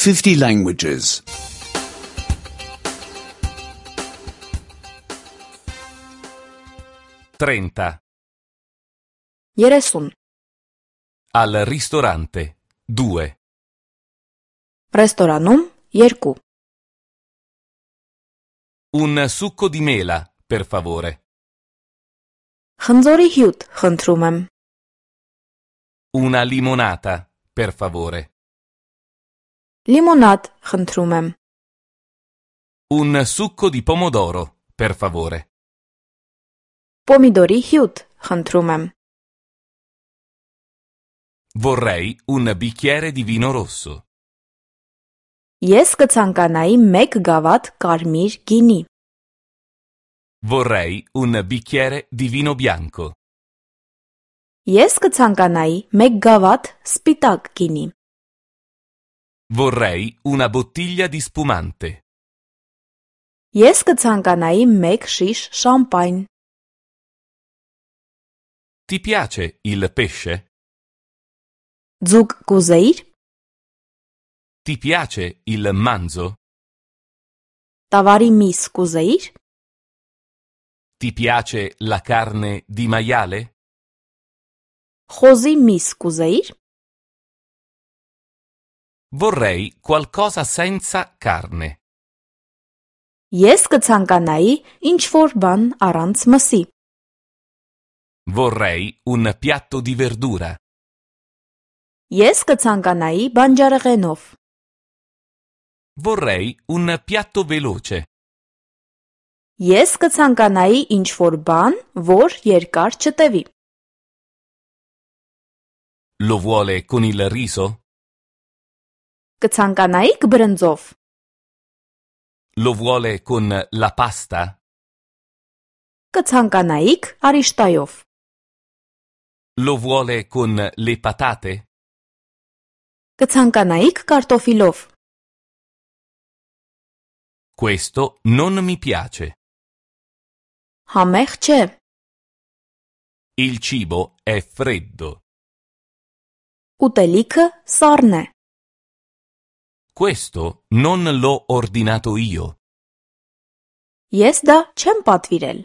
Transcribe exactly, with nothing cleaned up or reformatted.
fifty languages. trenta. երեսուն, Al ristorante. due. ռեստորանում երկու, Un succo di mela, per favore. խնձորի հյութ խնդրում եմ, Una limonata, per favore. լիմոնադ խնդրում եմ, Un succo di pomodoro, per favore. պոմիդորի հյութ խնդրում եմ, Vorrei un bicchiere di vino rosso. ես կցանկանայի մեկ գավաթ կարմիր գինի, Vorrei un bicchiere di vino bianco. ես կցանկանայի մեկ գավաթ սպիտակ գինի, Vorrei una bottiglia di spumante. ես կցանկանայի մեկ շիշ շամպայն, Ti piace il pesce? ձուկ կուզեիր, Ti piace il manzo? տավարի միս կուզեիր, Ti piace la carne di maiale? խոզի միս կուզեիր, Vorrei qualcosa senza carne. ես կցանկանայի ինչ-որ բան առանց մսի, Vorrei un piatto di verdura. ես կցանկանայի բանջարեղենով, Vorrei un piatto veloce. ես կցանկանայի ինչ-որ բան, որ երկար չտևի, Lo vuole con il riso? կցանկանայիք բրնձով, Lo vuole con la pasta? կցանկանայիք արիշտայով, Lo vuole con le patate? կցանկանայիք կարտոֆիլով, Questo non mi piace. համեղ չէ, Il cibo è freddo. ուտելիքը սառն է, Questo non l'ho ordinato io. ես դա չեմ պատվիրել,